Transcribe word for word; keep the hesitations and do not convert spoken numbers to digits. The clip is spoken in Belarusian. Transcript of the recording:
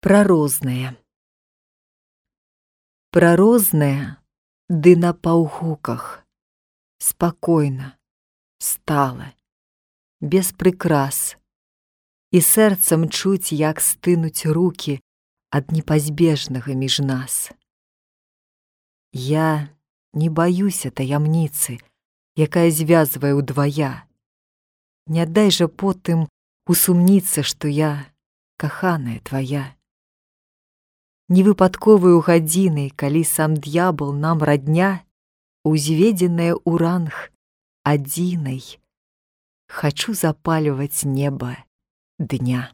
Пра рознае. Пра рознае, ды на паўгуках, спакойна, стала, без прыкрас, і сэрцам чуць, як стынуць рукі ад непазбежнага між нас. Я не баюся таямніцы, якая звязвае ўдвая. Не дай жа потым усумніцца, што я каханая твая. Невыпадковаю гадзінай, калі сам д'ябал нам радня, узведзеная ў ранг адзінай, хачу запальваць неба дня.